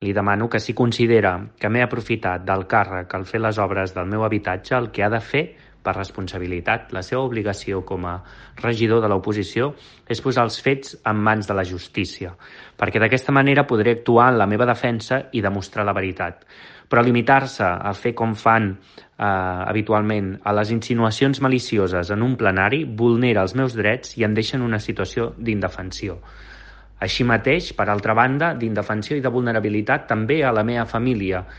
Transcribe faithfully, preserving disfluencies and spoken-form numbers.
Li demano que si considera que m'he aprofitat del càrrec al fer les obres del meu habitatge, el que ha de fer per responsabilitat. La seva obligació com a regidor de l'oposició és posar els fets en mans de la justícia, perquè d'aquesta manera podré actuar en la meva defensa i demostrar la veritat. Però limitar-se a fer com fan eh, habitualment a les insinuacions malicioses en un plenari vulnera els meus drets i em deixa en una situació d'indefensió. Així mateix, per altra banda, d'indefensió i de vulnerabilitat també a la meva família,